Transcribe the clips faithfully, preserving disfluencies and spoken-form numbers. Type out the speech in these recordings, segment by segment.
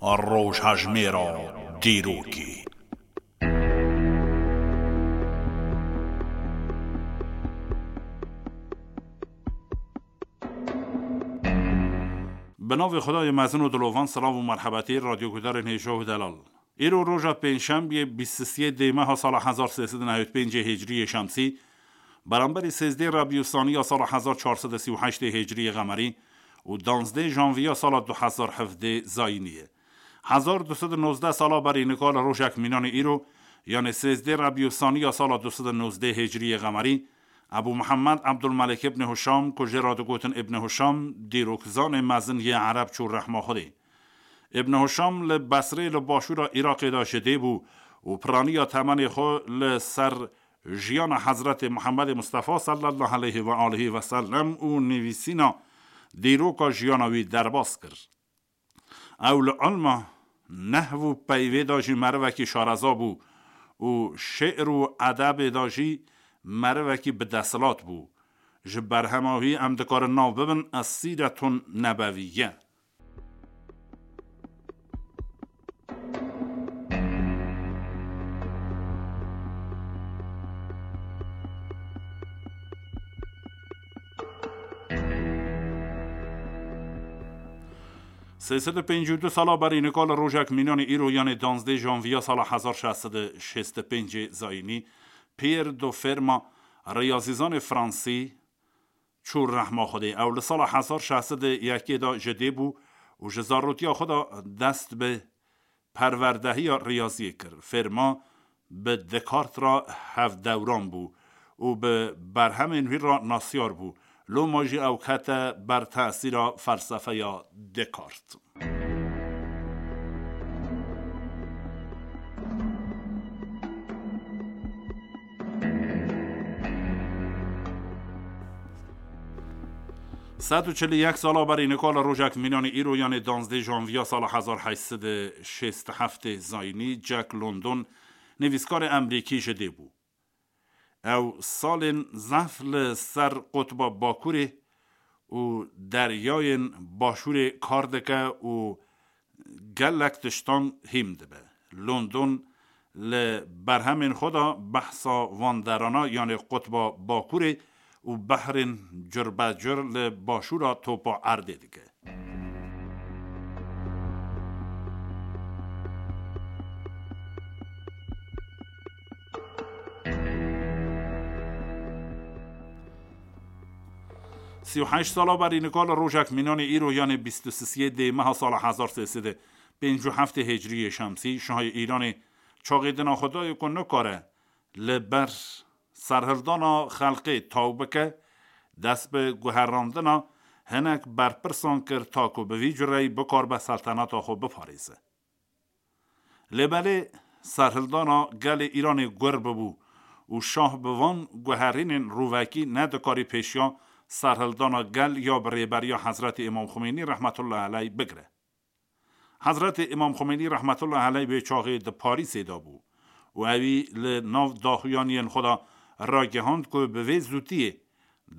Rojhejmêra dîrokê. Bi navê Xwedayê mezin û dilovan, silav û merhebetê radyoguhdarên hêja û delal. Îro roja pêncşembiyê bîst û sê dê meha sala hezar sê sed û newêd pêncê hicriyê şemsî, beramberî sêzdê Rebî Saniya sala hezar çar sed û sî û heştê hicriyê qemerî û danzdê janviya sala du hezar hevdê zayînî ye. Hezar du sed û nozdeh sala berî nika li rojek mînanê îro, yanê sêzdê Rebî Saniya sala du sed û nozdê hicriyê qemerî, Ebû Mihemed Ebdulmelik ibn Hişam, ku jê re digotin Ibn Hişam, dîrokzanê mezin yê Ereb çû rehma Xwedê. Ibn Hişam li Besrê li başûra Iraqê de ji dê bû û piraniya temenê xwe li ser jiyana Hezretê Muhemmedê Mustefa sallallahu aleyhi ve alihi ve sellem û nivîsîna dîroka jiyana wî derbas kir. Ew li ilma nehv û peyvê de jî merivekî şareza bû û şi'r û edebê de jî merivekî bi desthilat bû. Ji berhema wî em dikarin nav bibin Essîretun Nebeviye. Sê sed û pêncî û du sala berî nika li rojek mînanê îro, yanê danzdê janviya sala hezar şeş sed û şêst û pêncê zayînî, Pierre de Fermat, riyazîzanê fransî, çû rehma Xwedê. Ew li sala hezar şeş sed û yekê de ji dê bû û ji zarotiya xwe de dest bi perwerdehiya riyaziyê kir. Fermat bi Descartes re hevdewran bû û bi berhemên wî re nasyar bû. Loma jî ew kete ber tesîra felsefeya Descartes. Sed û çil û yek sala berî nika li rojek mînanê îro, yanê danzdê janviya sala hezar heşt sed û şêst û heftê zayînî, Jack London, nivîskarê Emrîkî ji dê bû. Ew salên zehf li ser qutba Bakurê û deryayên Başûrê kar dike û gelek tiştan hîm dibe. London li berhemên xwe de behsa van derana, yanê qutba Bakurê û behrên curbecur li başûra topa erdê dike. Sî û heşt sala berî nika li rojek mînanê îro, yanê bîst û sisiyê dê meha sala hezar sê sed û pêncî û heftê hicriyê şemsî, şahê Îranê çaxê dina xwe dayê ku nikare li ber serhildana xelkê taw bike, dest bi guherandina hinek berpirsan kir, ta ku bi vî cureyî bikaribe selteneta xwe biparêze. Lê belê serhildana gelê Îranê gur bibû û şah bi van guherînên rûvekî nedikarî pêşiya serhildana gel ya bi rêberiya Hezretî Îmam Xumeynî rehmetullahi aleyh bigire. Hezretê Îmam Xumeynî rehmetullahi aleyh wê çaxê di Parîsê de bû û ewî li nav daxuyaniyên xwe de ragihand ku bi vê zûtiyê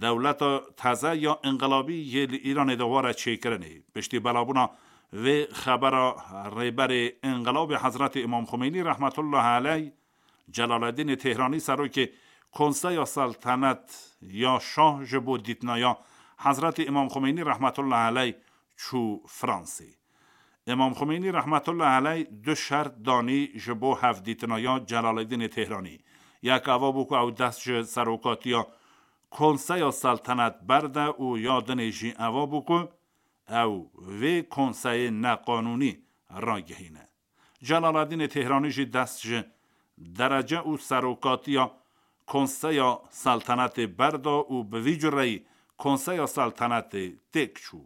dewleta teze ya înqilabî yê li Îranê de were çêkirinê. Piştî belabûna vê xebera, rêberê înqilabê Hezretî Îmam Xumeynî rehmetullahi aleyh, Celaledînê Têhranî, serokê Konseya Seltenet ya Şah, ji bo dîtinaya Hezretî Îmam Xumeynî rehmetullahi aleyh çû Fransê. Îmam Xumeynî rehmetullahi aleyh du şert danî ji bo hevdîtinaya Celaledînê Têhranî. Yek eva bû ku ew dest ji serokatiya Konseya Seltenet berde û ya dinê jî eva bû ku ew vê konseyê neqanûnî ragihîne. Celaledînê Têhranî jî dest ji derece û serokatiya Konseya Seltenetê berda û bi vî cureyî Konseya Seltenetê têk çû.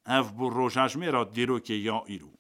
Ev bû rojejmêra dîrokê ya îro.